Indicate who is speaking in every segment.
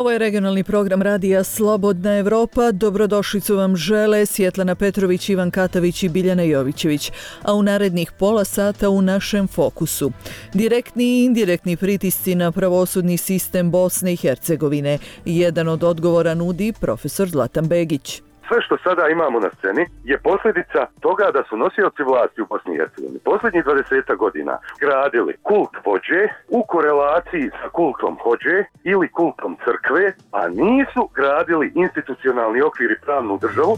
Speaker 1: Ovo je regionalni program radija Slobodna Evropa. Dobrodošlicu vam žele Svjetlana Petrović, Ivan Katavić i Biljana Jovićević. A u narednih pola sata u našem fokusu. Direktni i indirektni pritisci na pravosudni sistem Bosne i Hercegovine. Jedan od odgovora nudi profesor Zlatan Begić.
Speaker 2: Sve što sada imamo na sceni je posljedica toga da su nosioci vlasti u Bosni i Hercegovini posljednjih 20 godina gradili kult vođe u korelaciji sa kultom hođe ili kultom crkve, a nisu gradili institucionalni okvir i pravnu državu.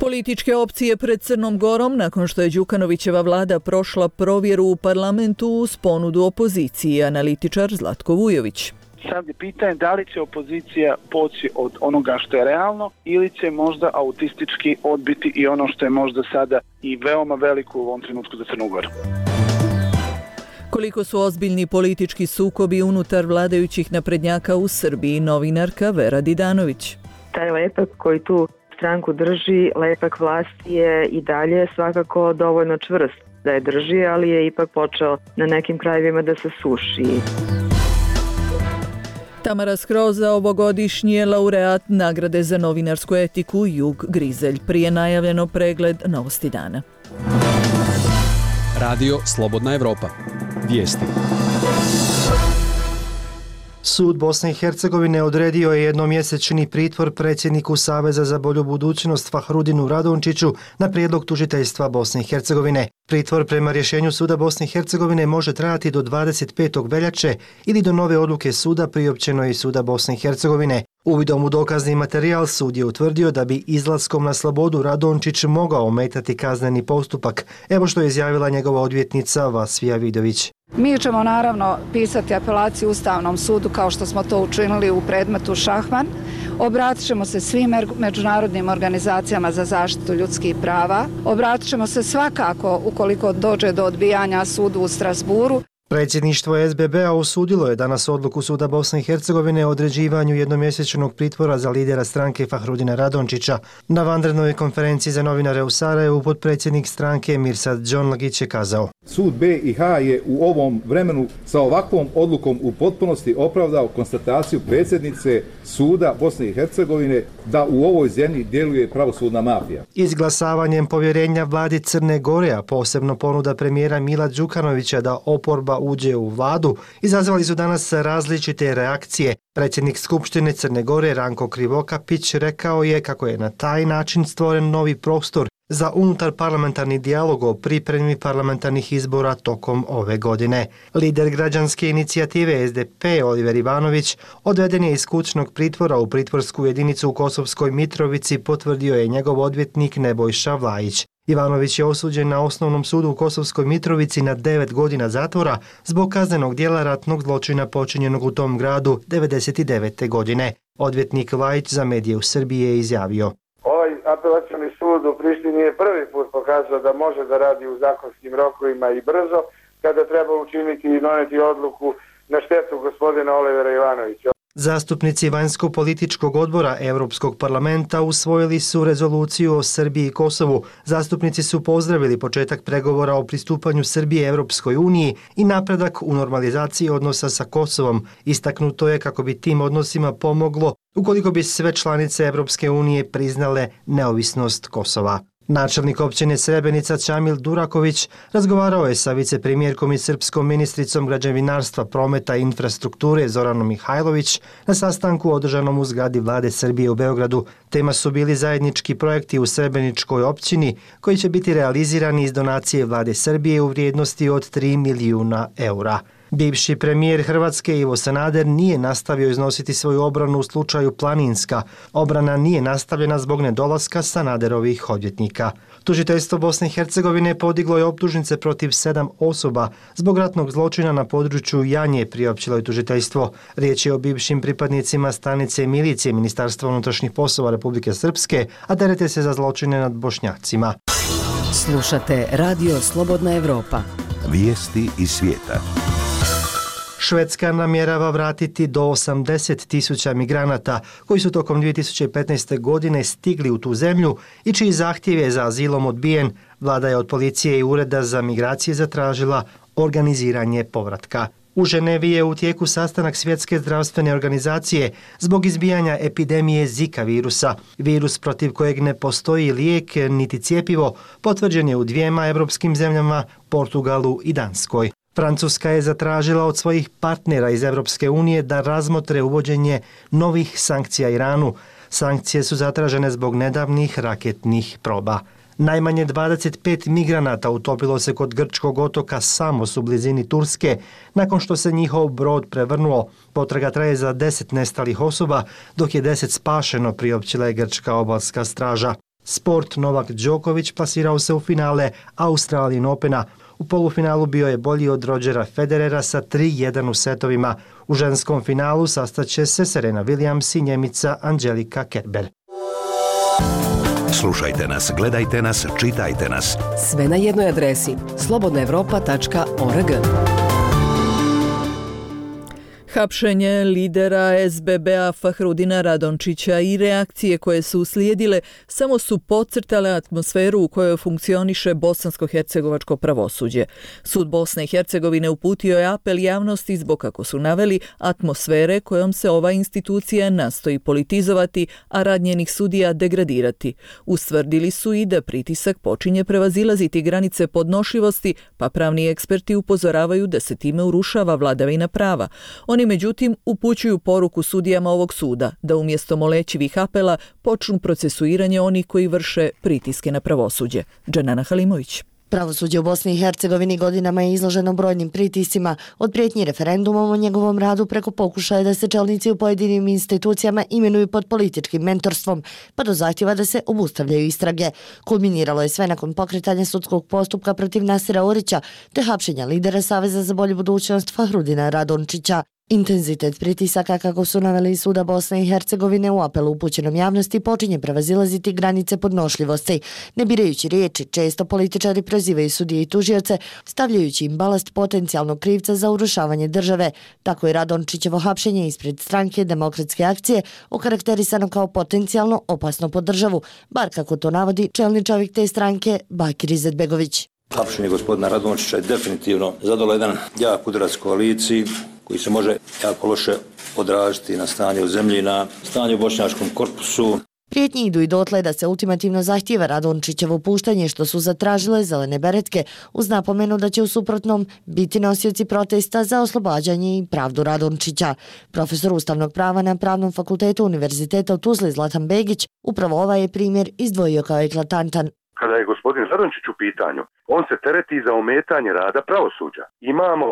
Speaker 1: Političke opcije pred Crnom Gorom nakon što je Đukanovićeva vlada prošla provjeru u parlamentu uz ponudu opozicije, analitičar Zlatko Vujović.
Speaker 3: Sad je pitanje da li će opozicija poći od onoga što je realno ili će možda autistički odbiti i ono što je možda sada i veoma veliko u ovom trenutku za Crnu Goru.
Speaker 1: Koliko su ozbiljni politički sukobi unutar vladajućih naprednjaka u Srbiji, novinarka Vera Didanović.
Speaker 4: Taj lepak koji tu stranku drži, lepak vlasti je i dalje svakako dovoljno čvrst da je drži, ali je ipak počeo na nekim krajevima da se suši.
Speaker 1: Tamara Skroza, ovogodišnji laureat nagrade za novinarsku etiku Jug Grizelj. Prije najavljeno pregled novosti dana.
Speaker 5: Radio Slobodna Evropa. Vijesti.
Speaker 6: Sud Bosne i Hercegovine odredio je jednomjesečni pritvor predsjedniku Saveza za bolju budućnost Fahrudinu Radončiću na prijedlog tužiteljstva Bosne i Hercegovine. Pritvor prema rješenju Suda Bosne i Hercegovine može trajati do 25. veljače ili do nove odluke suda priopćenoj Suda Bosne i Hercegovine. Uvidom u dokazni materijal sud je utvrdio da bi izlaskom na slobodu Radončić mogao ometati kazneni postupak. Evo što je izjavila njegova odvjetnica Vasfija Vidović.
Speaker 7: Mi ćemo naravno pisati apelaciju Ustavnom sudu kao što smo to učinili u predmetu Šahman. Obratit ćemo se svim međunarodnim organizacijama za zaštitu ljudskih prava. Obratit ćemo se svakako ukoliko dođe do odbijanja sudu u Strasburu.
Speaker 6: Predsjedništvo SBB-a osudilo je danas odluku Suda Bosne i Hercegovine o određivanju jednomjesečnog pritvora za lidera stranke Fahrudina Radončića. Na vanrednoj konferenciji za novinare u Sarajevu potpredsjednik stranke Mirsad Džonlagić je kazao:
Speaker 8: Sud BiH je u ovom vremenu sa ovakvom odlukom u potpunosti opravdao konstataciju predsjednice Suda Bosne i Hercegovine da u ovoj zemlji djeluje pravosudna mafija.
Speaker 6: Izglasavanjem povjerenja vladi Crne Gore, a posebno ponuda premijera Mila Đukanovića da oporba uđe u vladu, izazvali su danas različite reakcije. Predsjednik Skupštine Crne Gore Ranko Krivokapić rekao je kako je na taj način stvoren novi prostor za unutar parlamentarni dijalog o pripremi parlamentarnih izbora tokom ove godine. Lider građanske inicijative SDP Oliver Ivanović odveden je iz kućnog pritvora u pritvorsku jedinicu u Kosovskoj Mitrovici, potvrdio je njegov odvjetnik Nebojša Vlajić. Ivanović je osuđen na Osnovnom sudu u Kosovskoj Mitrovici na 9 godina zatvora zbog kaznenog djela ratnog zločina počinjenog u tom gradu 1999. godine. Odvjetnik Vlajić za medije u Srbiji je izjavio:
Speaker 9: Ovaj apelacioni sud u Prištini je prvi put pokazao da može da radi u zakonskim rokovima i brzo kada treba učiniti i doneti odluku na štetu gospodina Olivera Ivanovića.
Speaker 6: Zastupnici vanjsko-političkog odbora Europskog parlamenta usvojili su rezoluciju o Srbiji i Kosovu. Zastupnici su pozdravili početak pregovora o pristupanju Srbije Europskoj uniji i napredak u normalizaciji odnosa sa Kosovom. Istaknuto je kako bi tim odnosima pomoglo ukoliko bi sve članice Europske unije priznale neovisnost Kosova. Načelnik općine Srebrenica Čamil Duraković razgovarao je sa vicepremjerkom i srpskom ministricom građevinarstva, prometa i infrastrukture Zoranom Mihajlović na sastanku održanom u zgradi vlade Srbije u Beogradu. Tema su bili zajednički projekti u Srebreničkoj općini koji će biti realizirani iz donacije vlade Srbije u vrijednosti od 3 milijuna eura. Bivši premijer Hrvatske Ivo Sanader nije nastavio iznositi svoju obranu u slučaju Planinska. Obrana nije nastavljena zbog nedolaska Sanaderovih odvjetnika. Tužiteljstvo Bosne i Hercegovine podiglo je optužnice protiv 7 osoba zbog ratnog zločina na području Janje, priopćilo je tužiteljstvo. Riječ je o bivšim pripadnicima stanice milicije Ministarstva unutrašnjih poslova Republike Srpske, a terete se za zločine nad Bošnjacima.
Speaker 10: Slušate Radio Slobodna Evropa.
Speaker 11: Vijesti iz svijeta.
Speaker 6: Švedska namjerava vratiti do 80.000 migranata koji su tokom 2015. godine stigli u tu zemlju i čiji zahtjev je za azilom odbijen. Vlada je od policije i Ureda za migracije zatražila organiziranje povratka. U Ženevi je u tijeku sastanak Svjetske zdravstvene organizacije zbog izbijanja epidemije Zika virusa. Virus protiv kojeg ne postoji lijek niti cjepivo potvrđen je u 2 europskim zemljama, Portugalu i Danskoj. Francuska je zatražila od svojih partnera iz Europske unije da razmotre uvođenje novih sankcija Iranu. Sankcije su zatražene zbog nedavnih raketnih proba. Najmanje 25 migranata utopilo se kod grčkog otoka Samos u blizini Turske nakon što se njihov brod prevrnuo. Potraga traje za 10 nestalih osoba, dok je 10 spašeno, priopćila je grčka obalska straža. Sport, Novak Đoković plasirao se u finale Australian Opena. U polufinalu bio je bolji od Rodgera Federera sa 3-1 u setovima. U ženskom finalu sastaće se Serena Williams i Njemica Angelika Kerber.
Speaker 11: Slušajte nas, gledajte nas, čitajte nas.
Speaker 10: Sve na jednoj adresi slobodnaevropa.org.
Speaker 1: Hapšenje lidera SBB-a Fahrudina Radončića i reakcije koje su uslijedile samo su podcrtale atmosferu u kojoj funkcioniše bosansko-hercegovačko pravosuđe. Sud Bosne i Hercegovine uputio je apel javnosti zbog, kako su naveli, atmosfere kojom se ova institucija nastoji politizovati, a rad njenih sudija degradirati. Ustvrdili su i da pritisak počinje prevazilaziti granice podnošljivosti, pa pravni eksperti upozoravaju da se time urušava vladavina prava. Oni međutim upućuju poruku sudijama ovog suda da umjesto molećivih apela počnu procesuiranje onih koji vrše pritiske na pravosuđe. Dženana Halimović.
Speaker 12: Pravosuđe u Bosni i Hercegovini godinama je izloženo brojnim pritiscima, od prijetnji referendumom o njegovom radu preko pokušaja da se čelnici u pojedinim institucijama imenuju pod političkim mentorstvom, pa do zahtjeva da se obustavljaju istrage. Kulminiralo je sve nakon pokretanja sudskog postupka protiv Nasira Orića te hapšenja lidera Saveza za bolju budućnost Fahrudina Radončića. Intenzitet pritisaka, kako su naveli iz Suda Bosne i Hercegovine u apelu upućenom javnosti, počinje prevazilaziti granice podnošljivosti. Ne birajući riječi, često političari prozivaju sudije i tužioce, stavljajući im balast potencijalnog krivca za urušavanje države. Tako je Radončićevo hapšenje ispred stranke Demokratske akcije okarakterisano kao potencijalno opasno po državu, bar kako to navodi čelni čovjek te stranke Bakir Izetbegović.
Speaker 13: Hapšenje gospodina Radončića je definitivno zadalo jedan jak udarac koaliciji koji se može jako loše odraziti na stanje u zemlji, na stanje u bošnjačkom korpusu.
Speaker 12: Prijetnje idu i dotle da se ultimativno zahtijeva Radončićevo puštanje, što su zatražile zelene beretke, uz napomenu da će u suprotnom biti nosioci protesta za oslobađanje i pravdu Radončića. Profesor ustavnog prava na Pravnom fakultetu Univerziteta u Tuzli Zlatan Begić upravo ovaj je primjer izdvojio kao eklatantan.
Speaker 2: Kada je gospodin Radončić u pitanju, on se tereti za ometanje rada pravosuđa. Imamo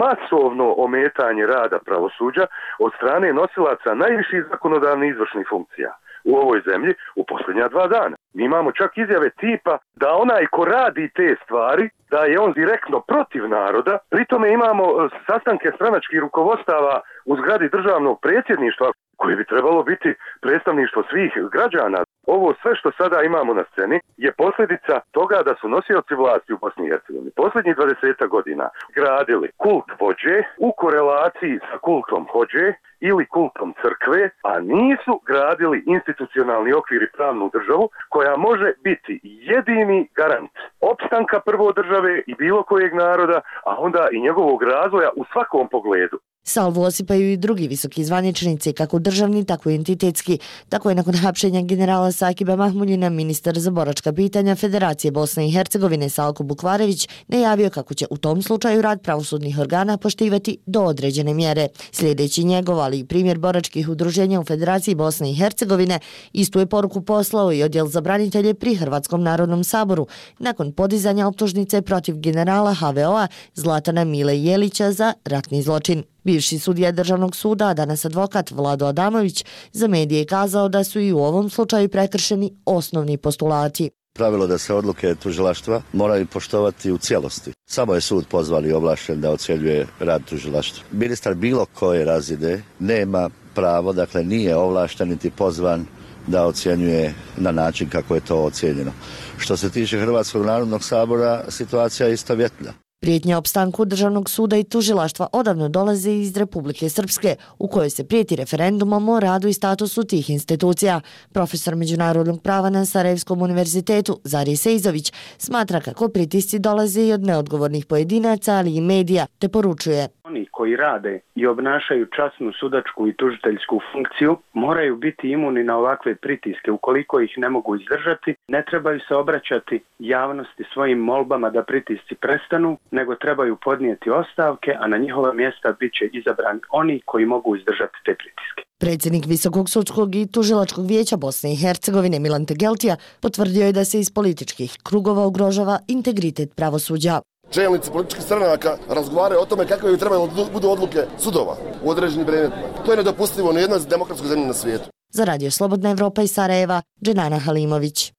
Speaker 2: masovno ometanje rada pravosuđa od strane nosilaca najviših zakonodavnih izvršnih funkcija u ovoj zemlji u posljednja 2 dana. Mi imamo čak izjave tipa da onaj ko radi te stvari, da je on direktno protiv naroda. Pritome imamo sastanke stranačkih rukovodstava u zgradi državnog predsjedništva koje bi trebalo biti predstavništvo svih građana. Ovo sve što sada imamo na sceni je posljedica toga da su nosioci vlasti u Bosni i Hercegovini posljednjih 20 godina gradili kult vođe u korelaciji sa kultom hođe ili kultom crkve, a nisu gradili institucionalni okvir i pravnu državu koja može biti jedini garant opstanka prvo države i bilo kojeg naroda, a onda i njegovog razvoja u svakom pogledu.
Speaker 12: Salvu osipaju i drugi visoki zvaničnici, kako državni, tako i entitetski. Tako je nakon hapšenja generala Sakiba Mahmuljina ministar za boračka pitanja Federacije Bosne i Hercegovine Salko Bukvarević najavio kako će u tom slučaju rad pravosudnih organa poštivati do određene mjere. Sljedeći njegov, ali i primjer boračkih udruženja u Federaciji Bosne i Hercegovine, istu je poruku poslao i odjel za branitelje pri Hrvatskom narodnom saboru nakon podizanja optužnice protiv generala HVO-a Zlatana Mile Jelića za ratni zločin. Bivši sudija Državnog suda, a danas advokat Vlado Adamović, za medije kazao da su i u ovom slučaju prekršeni osnovni postulati.
Speaker 14: Pravilo da se odluke tužilaštva moraju poštovati u cijelosti. Samo je sud pozvan i ovlašten da ocjenjuje rad tužilaštva. Ministar bilo koje razine nema pravo, dakle nije ovlašten niti pozvan da ocjenjuje na način kako je to ocijenjeno. Što se tiče Hrvatskog narodnog sabora, situacija je istovjetna.
Speaker 12: Prijetnje opstanku Državnog suda i tužilaštva odavno dolaze iz Republike Srpske, u kojoj se prijeti referendumom o radu i statusu tih institucija. Profesor međunarodnog prava na Sarajevskom univerzitetu Zari Sejzović smatra kako pritisci dolaze i od neodgovornih pojedinaca, ali i medija, te poručuje.
Speaker 3: Oni koji rade i obnašaju časnu sudačku i tužiteljsku funkciju moraju biti imuni na ovakve pritiske. Ukoliko ih ne mogu izdržati, ne trebaju se obraćati javnosti svojim molbama da pritisci prestanu, nego trebaju podnijeti ostavke, a na njihova mjesta bit će izabrani oni koji mogu izdržati te pritiske.
Speaker 12: Predsjednik Visokog sudskog i tužilačkog vijeća Bosne i Hercegovine Milan Tegeltija potvrdio je da se iz političkih krugova ugrožava integritet pravosuđa.
Speaker 15: Čelnici političkih stranaka razgovaraju o tome kakve bi trebalo budu odluke sudova u određenim predmetima. To je nedopustivo ni jednoj demokratskoj zemlji na svijetu.
Speaker 12: Za Radio Slobodna Evropa iz Sarajeva, Dženana Halimović.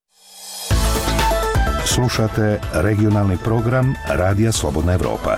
Speaker 11: Slušate regionalni program Radija Slobodna Evropa.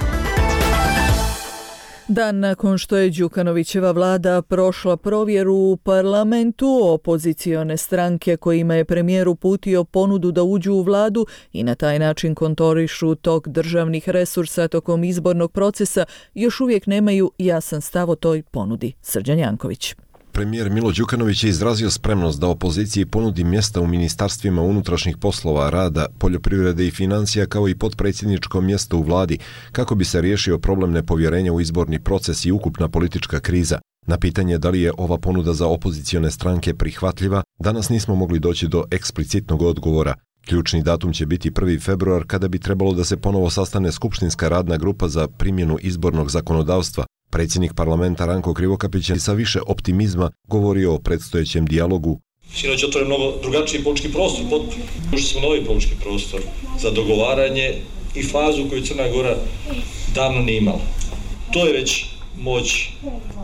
Speaker 1: Dan nakon što je Đukanovićeva vlada prošla provjeru u parlamentu, opozicione stranke kojima je premijer uputio ponudu da uđu u vladu i na taj način kontrolišu tok državnih resursa tokom izbornog procesa, još uvijek nemaju jasan stav o toj ponudi. Srđan Janković.
Speaker 16: Premijer Milo Đukanović je izrazio spremnost da opoziciji ponudi mjesta u ministarstvima unutrašnjih poslova, rada, poljoprivrede i financija kao i potpredsjedničko mjesto u vladi kako bi se riješio problem nepovjerenja u izborni proces i ukupna politička kriza. Na pitanje da li je ova ponuda za opozicione stranke prihvatljiva, danas nismo mogli doći do eksplicitnog odgovora. Ključni datum će biti 1. februar kada bi trebalo da se ponovo sastane skupštinska radna grupa za primjenu izbornog zakonodavstva. Predsjednik parlamenta Ranko Krivokapić je sa više optimizma govorio o predstojećem dijalogu.
Speaker 17: Sinoć otvoren mnogo drugačiji politički prostor, potpuno. Ušli smo novi politički prostor za dogovaranje i fazu koju Crna Gora davno nije imala. To je već moć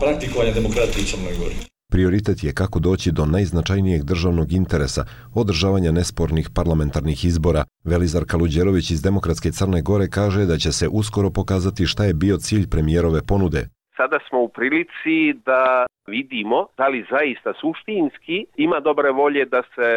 Speaker 17: praktikovanja demokratije u Crnoj Gori.
Speaker 16: Prioritet je kako doći do najznačajnijeg državnog interesa, održavanja nespornih parlamentarnih izbora. Velizar Kaluđerović iz Demokratske Crne Gore kaže da će se uskoro pokazati šta je bio cilj premijerove ponude.
Speaker 18: Sada smo u prilici da vidimo da li zaista suštinski ima dobre volje da se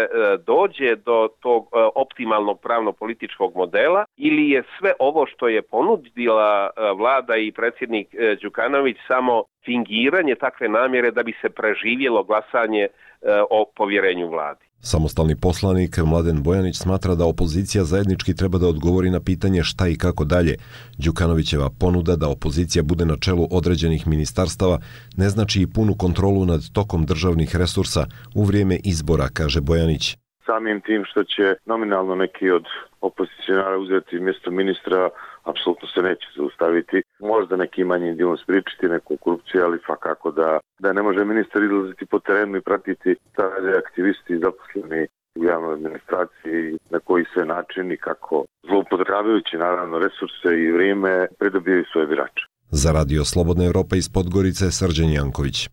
Speaker 18: dođe do tog optimalnog pravno-političkog modela ili je sve ovo što je ponudila vlada i predsjednik Đukanović samo fingiranje takve namjere da bi se preživjelo glasanje o povjerenju vladi.
Speaker 16: Samostalni poslanik Mladen Bojanić smatra da opozicija zajednički treba da odgovori na pitanje šta i kako dalje. Đukanovićeva ponuda da opozicija bude na čelu određenih ministarstava ne znači i punu kontrolu nad tokom državnih resursa u vrijeme izbora, kaže Bojanić.
Speaker 19: Samim tim što će nominalno neki od opozicionara uzeti mjesto ministra, apsolutno se neće zaustaviti. Možda neki manji dijelom spriječiti neku korupciju, ali fakako da ne može ministar izlaziti po terenu i pratiti šta rade aktivisti i zaposleni u javnoj administraciji, na koji sve način i kako zloupotrebljavajući naravno resurse i vrijeme pridobijaju svoje birače.
Speaker 16: Za Radio Slobodna Evropa iz Podgorice, Srđan Janković.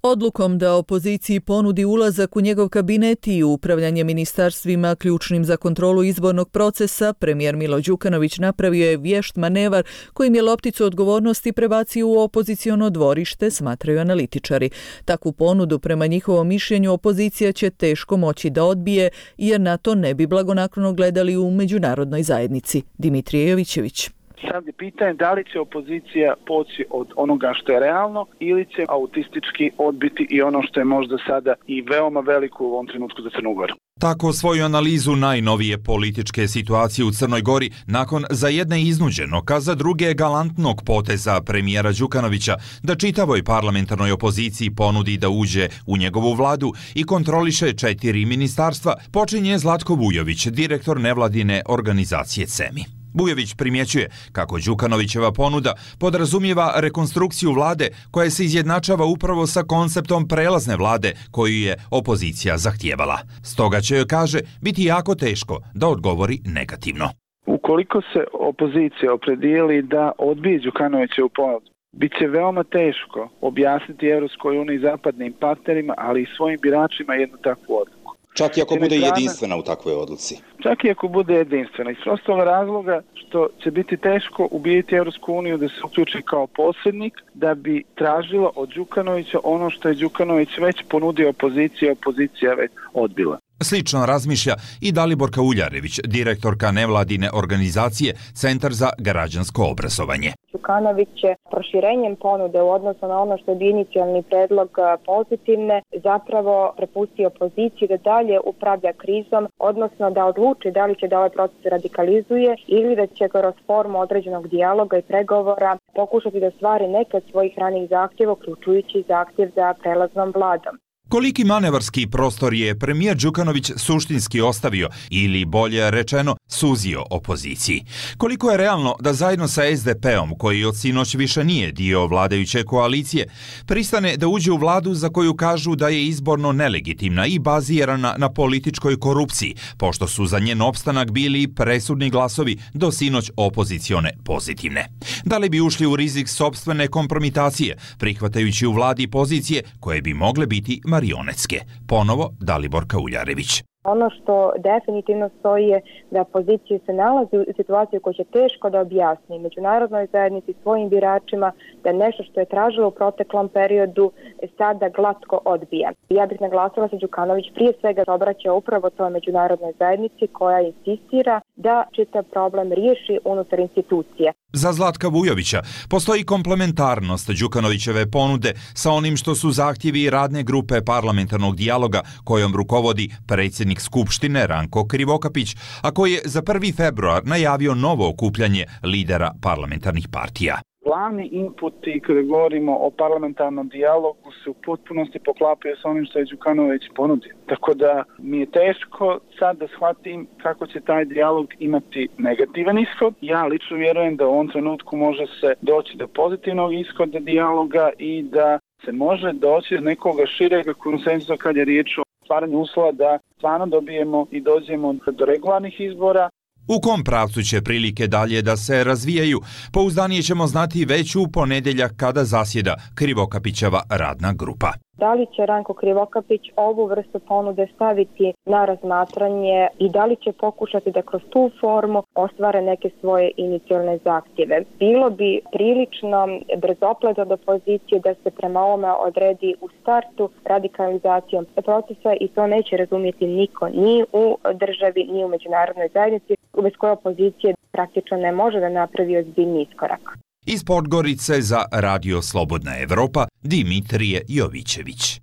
Speaker 1: Odlukom da opoziciji ponudi ulazak u njegov kabinet i upravljanje ministarstvima ključnim za kontrolu izbornog procesa, premijer Milo Đukanović napravio je vješt manevar kojim je lopticu odgovornosti prebacio u opoziciono dvorište, smatraju analitičari. Takvu ponudu prema njihovom mišljenju opozicija će teško moći da odbije jer na to ne bi blagonaklono gledali u međunarodnoj zajednici. Dimitrije Jovićević.
Speaker 3: Sad je pitanje da li će opozicija poći od onoga što je realno ili će autistički odbiti i ono što je možda sada i veoma veliko u ovom trenutku za Crnu Goru.
Speaker 20: Tako svoju analizu najnovije političke situacije u Crnoj Gori nakon za jedne iznuđenog, a za druge galantnog poteza premijera Đukanovića da čitavoj parlamentarnoj opoziciji ponudi da uđe u njegovu vladu i kontroliše 4 ministarstva, počinje Zlatko Vujović, direktor nevladine organizacije CEMI. Vujović primjećuje kako Đukanovićeva ponuda podrazumijeva rekonstrukciju vlade koja se izjednačava upravo sa konceptom prelazne vlade koju je opozicija zahtijevala. Stoga će joj, kaže, biti jako teško da odgovori negativno.
Speaker 3: Ukoliko se opozicija opredijeli da odbije Đukanovićevu ponudu, bit će veoma teško objasniti Evropskoj uniji i zapadnim partnerima, ali i svojim biračima jednu takvu odluku.
Speaker 21: Čak i ako bude jedinstvena u takvoj odluci.
Speaker 3: Čak i ako bude jedinstvena. Iz prostog razloga što će biti teško ubijeti Evropsku uniju da se uključi kao posrednik da bi tražila od Đukanovića ono što je Đukanović već ponudio opoziciji, opozicija već odbila.
Speaker 20: Slično razmišlja i Dalibor Kauljarević, direktorka nevladine organizacije Centar za građansko obrazovanje.
Speaker 22: Đukanović je proširenjem ponude u odnosu na ono što je inicijalni predlog pozitivne zapravo prepustio opoziciji da dalje upravlja krizom, odnosno da odluči da li će da ovaj proces radikalizuje ili da će kroz formu određenog dijaloga i pregovora pokušati da stvari neke od svojih ranih zahtjeva, uključujući zahtjev za prelaznom vladom.
Speaker 20: Koliki manevarski prostor je premijer Đukanović suštinski ostavio ili, bolje rečeno, suzio opoziciji? Koliko je realno da zajedno sa SDP-om, koji od sinoć više nije dio vladajuće koalicije, pristane da uđe u vladu za koju kažu da je izborno nelegitimna i bazirana na političkoj korupciji, pošto su za njen opstanak bili presudni glasovi do sinoć opozicione pozitivne? Da li bi ušli u rizik sopstvene kompromitacije, prihvatajući u vladi pozicije koje bi mogle biti marionetske? Ponovo Dalibor Kauljarević.
Speaker 22: Ono što definitivno stoji je da opozicija se nalazi u situaciji koju će teško da objasni međunarodnoj zajednici, svojim biračima, da nešto što je tražilo u proteklom periodu sada glatko odbija. Ja bih naglasila se Đukanović prije svega obraća upravo toj međunarodnoj zajednici koja insistira da čitav problem riješi unutar institucije.
Speaker 20: Za Zlatka Vujovića postoji komplementarnost Đukanovićeve ponude sa onim što su zahtjevi radne grupe parlamentarnog dijaloga kojom rukovodi predsjednik Skupštine Ranko Krivokapić, a koji je za 1. februar najavio novo okupljanje lidera parlamentarnih partija.
Speaker 4: Glavni inputi kada govorimo o parlamentarnom dijalogu se u potpunosti poklapaju sa onim što je Đukanović ponudio. Tako da mi je teško sad da shvatim kako će taj dijalog imati negativan ishod. Ja lično vjerujem da u ovom trenutku može se doći do pozitivnog ishoda dijaloga i da se može doći do nekoga šireg konsenzusa kad je riječ o stvaranju uslova da stvarno dobijemo i dođemo do regularnih izbora.
Speaker 20: U kom pravcu će prilike dalje da se razvijaju, pouzdanije ćemo znati već u ponedjeljak kada zasjeda Krivokapićeva radna grupa.
Speaker 22: Da li će Ranko Krivokapić ovu vrstu ponude staviti na razmatranje i da li će pokušati da kroz tu formu ostvare neke svoje inicijalne zahtjeve? Bilo bi prilično brzoplet od opozicije da se prema ovome odredi u startu radikalizacijom procesa i to neće razumjeti niko, ni u državi, ni u međunarodnoj zajednici, bez koje opozicije praktično ne može da napravi ozbiljni iskorak.
Speaker 20: Iz Podgorice za Radio Slobodna Evropa, Dimitrije Jovićević.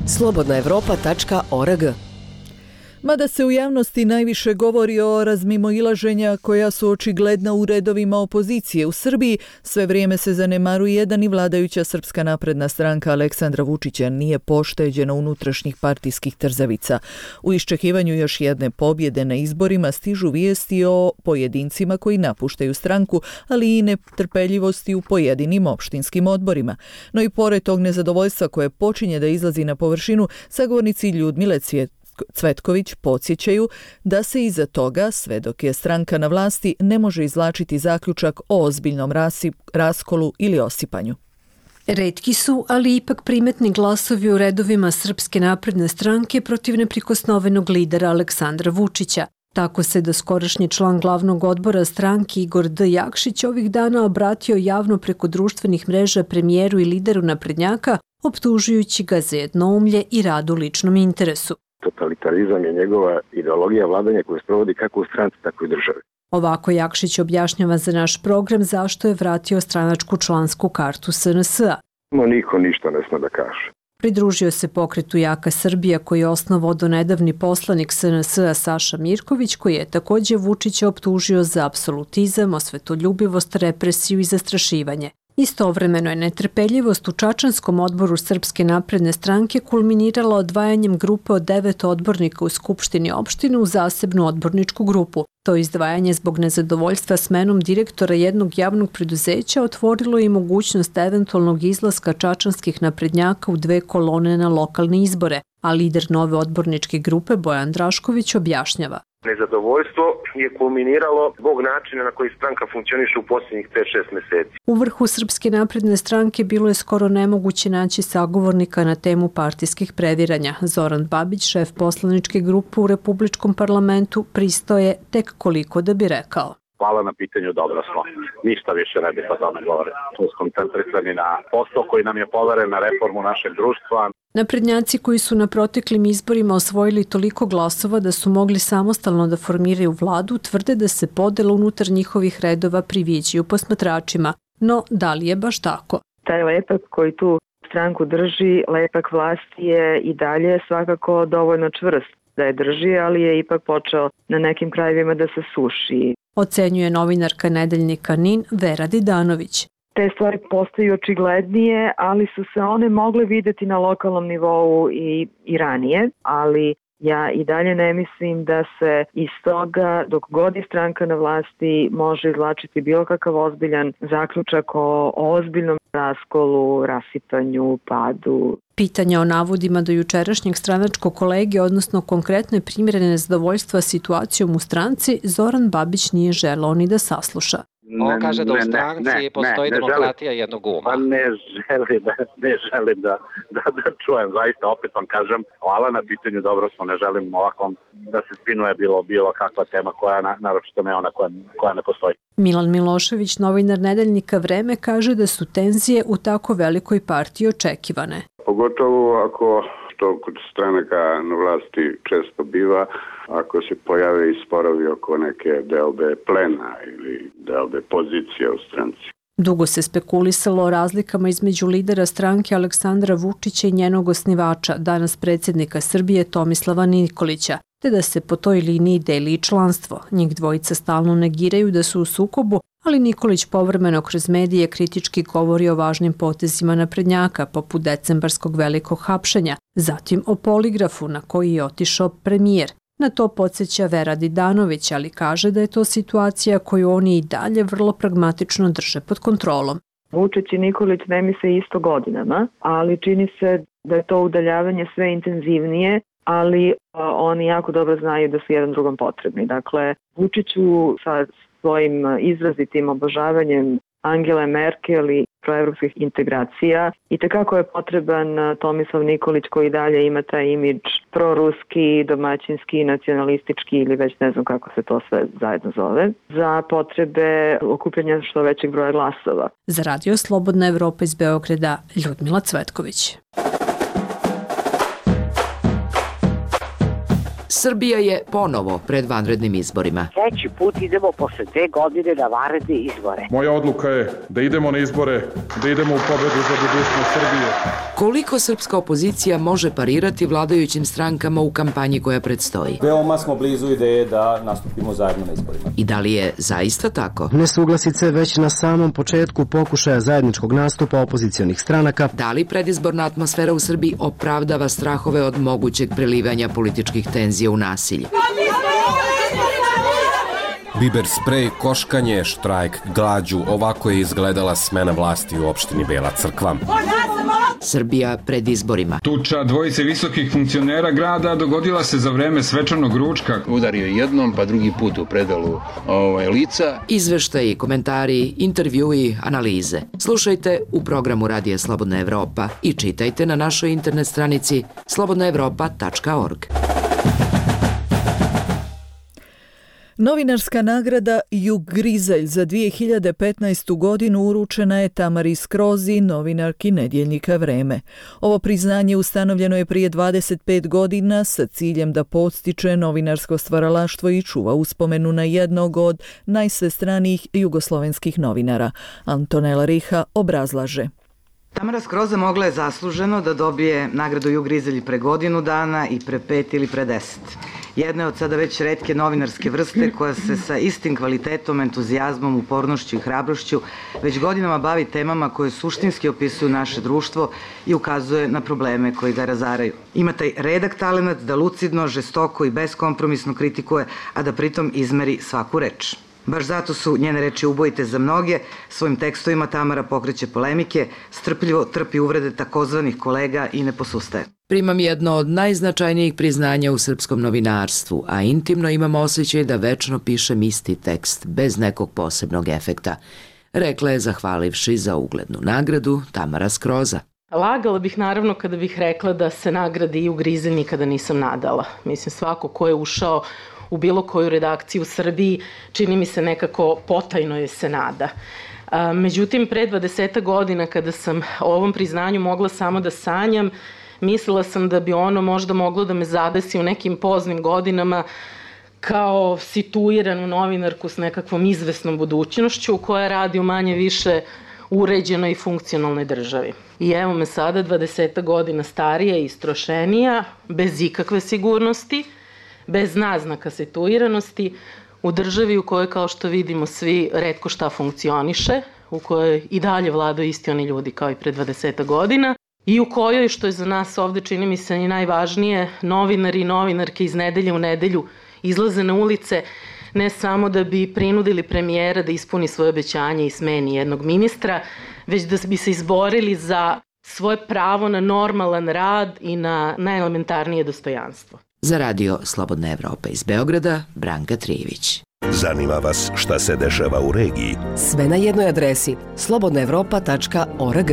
Speaker 10: slobodnaevropa.org.
Speaker 1: Mada se u javnosti najviše govori o razmimoilaženja koja su očigledna u redovima opozicije u Srbiji, sve vrijeme se zanemaruje da ni vladajuća Srpska napredna stranka Aleksandra Vučića nije pošteđena unutrašnjih partijskih trzavica. U iščekivanju još jedne pobjede na izborima stižu vijesti o pojedincima koji napuštaju stranku, ali i netrpeljivosti u pojedinim opštinskim odborima. No i pored tog nezadovoljstva koje počinje da izlazi na površinu, sagovornici Ljudmile Cvetković podsjećaju da se iza toga, sve dok je stranka na vlasti, ne može izvlačiti zaključak o ozbiljnom raskolu ili osipanju.
Speaker 5: Retki su, ali ipak primetni glasovi u redovima Srpske napredne stranke protiv neprikosnovenog lidera Aleksandra Vučića. Tako se doskorašnji član glavnog odbora stranke Igor D. Jakšić ovih dana obratio javno preko društvenih mreža premijeru i lideru naprednjaka, optužujući ga za jednoumlje i rad u ličnom interesu.
Speaker 23: Totalitarizam je njegova ideologija vladanja koju sprovodi kako u stranci, tako i državi.
Speaker 5: Ovako Jakšić objašnjava za naš program zašto je vratio stranačku člansku kartu SNS-a.
Speaker 23: Niko ništa ne sme da kaže.
Speaker 5: Pridružio se pokretu Jaka Srbija koji je osnovao donedavni poslanik SNS-a Saša Mirković, koji je također Vučića optužio za apsolutizam, osvetoljubivost, represiju i zastrašivanje. Istovremeno je netrpeljivost u Čačanskom odboru Srpske napredne stranke kulminirala odvajanjem grupe od 9 odbornika u Skupštini opštine u zasebnu odborničku grupu. To izdvajanje zbog nezadovoljstva smenom direktora jednog javnog preduzeća otvorilo i mogućnost eventualnog izlaska čačanskih naprednjaka u 2 kolone na lokalne izbore, a lider nove odborničke grupe Bojan Drašković objašnjava.
Speaker 24: Nezadovoljstvo je kulminiralo zbog načina na koji stranka funkcioniše u posljednjih 5-6 mjeseci.
Speaker 5: U vrhu Srpske napredne stranke bilo je skoro nemoguće naći sagovornika na temu partijskih previranja. Zoran Babić, šef poslaničke grupe u Republičkom parlamentu, pristao je tek koliko da bi rekao.
Speaker 23: Hvala na pitanju, dobro smo. Ništa više ne bih o tome govorio. Tu skoncentrisani na posao koji nam je poveren, na reformu našeg društva.
Speaker 5: Naprednjaci koji su na proteklim izborima osvojili toliko glasova da su mogli samostalno da formiraju vladu, tvrde da se podela unutar njihovih redova priviđaju posmatračima. No, da li je baš tako?
Speaker 25: Taj lepak koji tu stranku drži, lepak vlasti je i dalje svakako dovoljno čvrst da je drži, ali je ipak počeo na nekim krajevima da se suši.
Speaker 5: ocenjuje novinarka nedeljnika NIN Vera Didanović.
Speaker 25: Te stvari postaju očiglednije, ali su se one mogle videti na lokalnom nivou i ranije, ali ja i dalje ne mislim da se iz toga, dok god je stranka na vlasti, može izvlačiti bilo kakav ozbiljan zaključak o ozbiljnom raskolu, rasipanju, padu.
Speaker 5: Pitanja o navodima do jučerašnjeg stranačkog kolege, odnosno konkretne primjere nezadovoljstva situacijom u stranci, Zoran Babić nije želeo ni da sasluša.
Speaker 6: On kaže da u stranci postoji demokratija jednog uma.
Speaker 23: Pa ne želim da čujem, zaista opet vam kažem, hvala na pitanju, dobro smo, ne želim ovako da se spinuje bilo kakva tema koja, naročito ne ona koja ne postoji.
Speaker 5: Milan Milošević, novinar nedeljnika Vreme, kaže da su tenzije u tako velikoj partiji očekivane.
Speaker 7: Pogotovo ako što kod stranaka na vlasti često biva, ako se pojave i sporovi oko neke deobe plena ili deobe pozicije u stranci.
Speaker 5: Dugo se spekulisalo o razlikama između lidera stranke Aleksandra Vučića i njenog osnivača, danas predsjednika Srbije Tomislava Nikolića, te da se po toj liniji deli i članstvo. Njih dvojica stalno negiraju da su u sukobu, ali Nikolić povremeno kroz medije kritički govori o važnim potezima naprednjaka, poput decembarskog velikog hapšenja, zatim o poligrafu na koji je otišao premijer. Na to podsjeća Vera Didanović, ali kaže da je to situacija koju oni i dalje vrlo pragmatično drže pod kontrolom.
Speaker 25: Vučić i Nikolić ne misle isto godinama, ali čini se da je to udaljavanje sve intenzivnije, ali oni jako dobro znaju da su jedan drugom potrebni. Dakle, Vučiću sa svojim izrazitim obožavanjem Angele Merkel i proevropskih integracija i tekako je potreban Tomislav Nikolić koji dalje ima taj imidž proruski, domaćinski, nacionalistički ili već ne znam kako se to sve zajedno zove, za potrebe okupljanja što većeg broja glasova.
Speaker 5: Za Radio Slobodna Evropa iz Beograda, Ljudmila Cvetković.
Speaker 10: Srbija je ponovo pred vanrednim izborima.
Speaker 8: Treći put idemo posle 2 godine na vanredne izbore.
Speaker 9: Moja odluka je da idemo na izbore, da idemo u pobedu za budućnost Srbije.
Speaker 10: Koliko srpska opozicija može parirati vladajućim strankama u kampanji koja predstoji?
Speaker 13: Veoma smo blizu ideje da nastupimo zajedno na izborima.
Speaker 10: I da li je zaista tako?
Speaker 26: Nesuglasice već na samom početku pokušaja zajedničkog nastupa opozicionih stranaka.
Speaker 10: Da li predizborna atmosfera u Srbiji opravdava strahove od mogućeg prelivanja političkih tenzija u nasilje?
Speaker 27: Biber sprej, koškanje, štrajk, glađu, ovako je izgledala smena vlasti u opštini Bela Crkva.
Speaker 10: Srbija pred izborima.
Speaker 28: Tuča dvojice visokih funkcionera grada dogodila se za vreme svečanog ručka.
Speaker 29: Udario jednom, pa drugi put u predalu lica.
Speaker 10: Izveštaji, komentari, intervjui, analize. Slušajte u programu Radija Slobodna Evropa i čitajte na našoj internet stranici slobodnaevropa.org.
Speaker 1: Novinarska nagrada Jug Grizelj za 2015. godinu uručena je Tamari Skrozi, novinarki nedjeljnika Vreme. Ovo priznanje ustanovljeno je prije 25 godina sa ciljem da podstiče novinarsko stvaralaštvo i čuva uspomenu na jednog od najsvestranijih jugoslovenskih novinara. Antonela Riha obrazlaže.
Speaker 30: Tamara Skroza mogla je zasluženo da dobije nagradu Jug Grizelj pre godinu dana i pre 5 ili pre 10. Jedna je od sada već retke novinarske vrste koja se sa istim kvalitetom, entuzijazmom, upornošću i hrabrošću već godinama bavi temama koje suštinski opisuju naše društvo i ukazuje na probleme koji ga razaraju. Ima taj redak talenat da lucidno, žestoko i beskompromisno kritikuje, a da pritom izmeri svaku reč. Baš zato su njene reči ubojite za mnoge, svojim tekstovima Tamara pokreće polemike, strpljivo trpi uvrede takozvanih kolega i ne posustaje.
Speaker 10: Primam jedno od najznačajnijih priznanja u srpskom novinarstvu, a intimno imam osjećaj da večno pišem isti tekst, bez nekog posebnog efekta, rekla je zahvalivši za uglednu nagradu Tamara Skroza.
Speaker 31: Lagala bih naravno kada bih rekla da se nagrade Jug Grizelj nikada nisam nadala. Mislim, svako ko je ušao u bilo koju redakciju u Srbiji, čini mi se nekako potajno je se nada. Međutim, pre 20 godina kada sam o ovom priznanju mogla samo da sanjam, mislila sam da bi ono možda moglo da me zadesi u nekim poznim godinama kao situiranu novinarku s nekakvom izvesnom budućnošću koja radi u manje više uređenoj i funkcionalnoj državi. I evo me sada 20 godina starija i istrošenija, bez ikakve sigurnosti, bez naznaka situiranosti, u državi u kojoj, kao što vidimo svi, retko šta funkcioniše, u kojoj i dalje vladaju isti oni ljudi kao i pre 20 godina i u kojoj, što je za nas ovde čini mi se i najvažnije, novinari i novinarke iz nedelje u nedelju izlaze na ulice ne samo da bi prinudili premijera da ispuni svoje obećanje i smeni jednog ministra, već da bi se izborili za svoje pravo na normalan rad i na najelementarnije dostojanstvo.
Speaker 10: Za radio Slobodna Evropa iz Beograda, Branka Trijević.
Speaker 2: Zanima vas šta se dešava u regiji?
Speaker 3: Sve na jednoj adresi slobodnaevropa.org.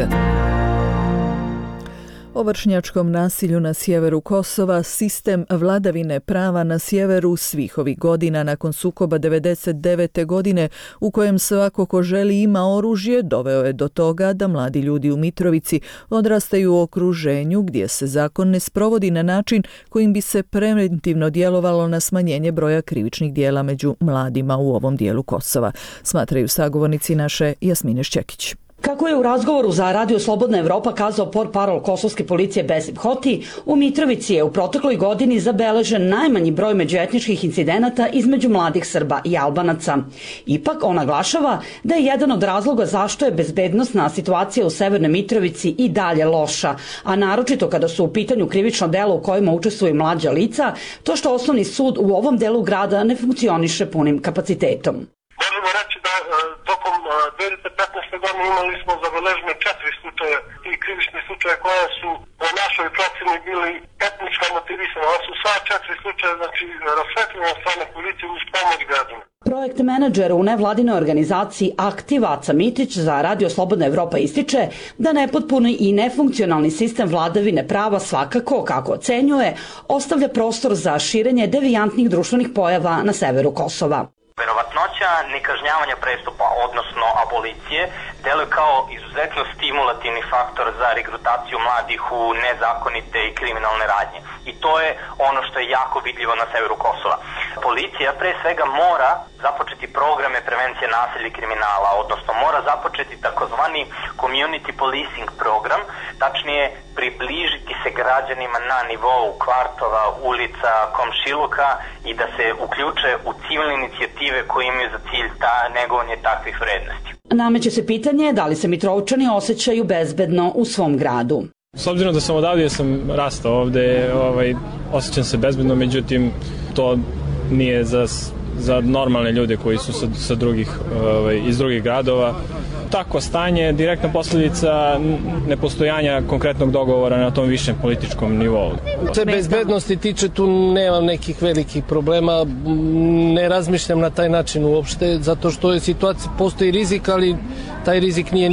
Speaker 1: O vršnjačkom nasilju na sjeveru Kosova, sistem vladavine prava na sjeveru svih ovih godina nakon sukoba 1999. godine u kojem svako ko želi ima oružje doveo je do toga da mladi ljudi u Mitrovici odrastaju u okruženju gdje se zakon ne sprovodi na način kojim bi se preventivno djelovalo na smanjenje broja krivičnih dijela među mladima u ovom dijelu Kosova, smatraju sagovornici naše Jasmine Šćekić.
Speaker 11: Kako je u razgovoru za Radio Slobodna Evropa kazao portparol kosovske policije Besim Hoti, u Mitrovici je u protekloj godini zabeležen najmanji broj međuetničkih incidenata između mladih Srba i Albanaca. Ipak on naglašava da je jedan od razloga zašto je bezbednosna situacija u Severnoj Mitrovici i dalje loša, a naročito kada su u pitanju krivično delo u kojima učestvuju mlađa lica, to što osnovni sud u ovom delu grada ne funkcioniše punim kapacitetom.
Speaker 12: Možemo reći da tokom 2015. godine imali smo zabeležene 4 slučaja i krivični slučaje koja su po našoj procjeni bili etnička motivisana. Ovo su sva 4 slučaja, znači rasvetljena od strane policije uz pomoć građana.
Speaker 11: Projekt menadžer u nevladinoj organizaciji Aktiva Aca Mitić za Radio Slobodna Evropa ističe da nepotpuni i nefunkcionalni sistem vladavine prava svakako, kako ocenjuje, ostavlja prostor za širenje devijantnih društvenih pojava na severu Kosova.
Speaker 14: Verovatnoća nekažnjavanja prestupa, odnosno abolicije, deluje kao izuzetno stimulativni faktor za regrutaciju mladih u nezakonite i kriminalne radnje. I to je ono što je jako vidljivo na severu Kosova. Policija pre svega mora započeti programe prevencije nasilja i kriminala, odnosno mora započeti takozvani community policing program, tačnije približiti se građanima na nivou kvartova, ulica, komšiluka i da se uključe u civilne inicijative koje imaju za cilj negovanje takvih vrednosti.
Speaker 11: Nameće se pitanje da li se Mitrovčani osjećaju bezbedno u svom gradu.
Speaker 15: S obzirom da sam odavde, sam rastao ovde, osjećam se bezbedno, međutim to nije za normalne ljude koji su iz drugih gradova. Takvo stanje je direktna posljedica nepostojanja konkretnog dogovora na tom višem političkom nivou.
Speaker 16: Se bezbednosti tiče, tu nemam nekih velikih problema, ne razmišljam na taj način uopšte, zato što je situacija, postoji rizik, ali taj rizik nije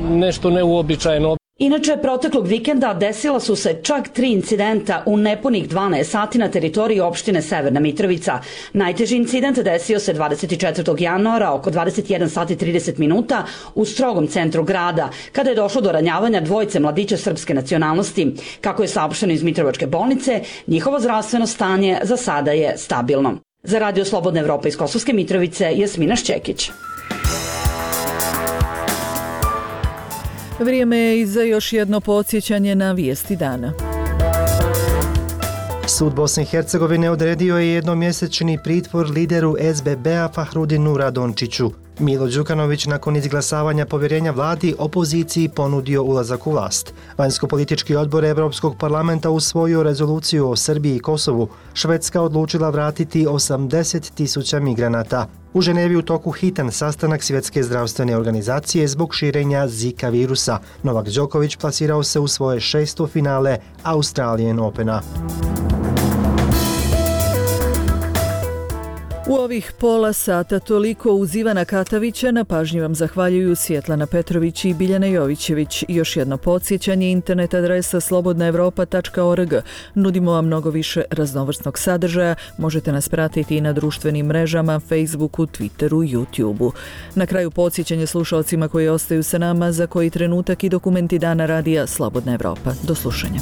Speaker 16: nešto neuobičajeno.
Speaker 11: Inače, proteklog vikenda desila su se čak 3 incidenta u nepunih 12 sati na teritoriji opštine Severna Mitrovica. Najteži incident desio se 24. januara oko 21 sati 30 minuta u strogom centru grada, kada je došlo do ranjavanja dvojice mladića srpske nacionalnosti. Kako je saopšteno iz Mitrovačke bolnice, njihovo zdravstveno stanje za sada je stabilno. Za Radio Slobodna Evropa iz Kosovske Mitrovice, Jasmina Šćekić.
Speaker 1: Vrijeme je i za još jedno podsjećanje na vijesti dana.
Speaker 26: Sud Bosne i Hercegovine odredio je jednomjesečni pritvor lideru SBB-a Fahrudinu Radončiću. Milo Đukanović nakon izglasavanja povjerenja vladi opoziciji ponudio ulazak u vlast. Vanjsko-politički odbor Evropskog parlamenta usvojio rezoluciju o Srbiji i Kosovu. Švedska odlučila vratiti 80.000 migranata. U Ženevi u toku hitan sastanak Svjetske zdravstvene organizacije zbog širenja Zika virusa. Novak Đoković plasirao se u svoje 6. finale Australian Opena.
Speaker 1: U ovih pola sata toliko uz Ivana Katavića, na pažnji vam zahvaljuju Svjetlana Petrović i Biljana Jovićević. Još jedno podsjećanje, internet adresa slobodnaevropa.org. Nudimo vam mnogo više raznovrsnog sadržaja, možete nas pratiti i na društvenim mrežama, Facebooku, Twitteru, YouTubeu. Na kraju podsjećanje slušalcima koji ostaju sa nama za koji trenutak i dokumenti dana radija Slobodna Evropa. Do slušanja.